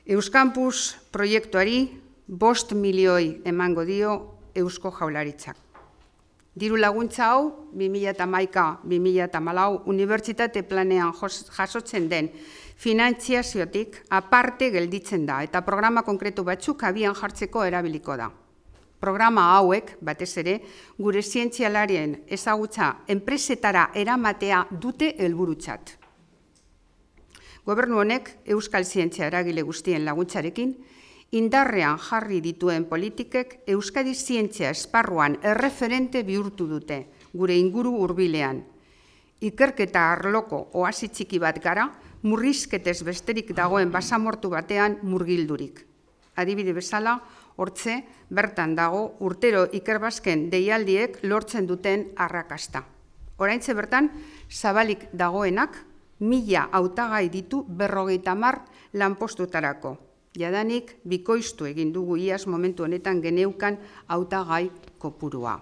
Euskampus proiektuari 5 milioi emango dio Eusko Jaurlaritzak. Diru laguntza hau 2011-2014 unibertsitate planean jasotzen den finantziaziotik aparte gelditzen da eta programa konkretu batzuk abian jartzeko erabiliko da. Programa hauek, batez ere, gure zientzialarien ezagutza enpresetara eramatea dute helburutzat. Gobernu honek euskal zientzia eragile guztien laguntzarekin indarrean jarri dituen politikek Euskadi zientzia esparruan erreferente bihurtu dute gure inguru hurbilean. Ikerketa arloko oasi txiki bat gara, murrizketez besterik dagoen basamortu batean murgildurik. Adibide bezala, hortze bertan dago urtero ikerbasken deialdiek lortzen duten arrakasta. Oraintze bertan, zabalik dagoenak 1000 hautagai ditu 50 lanpostutarako. Jadanik bikoiztu egin dugu iaz momentu honetan geneukan hautagai kopurua.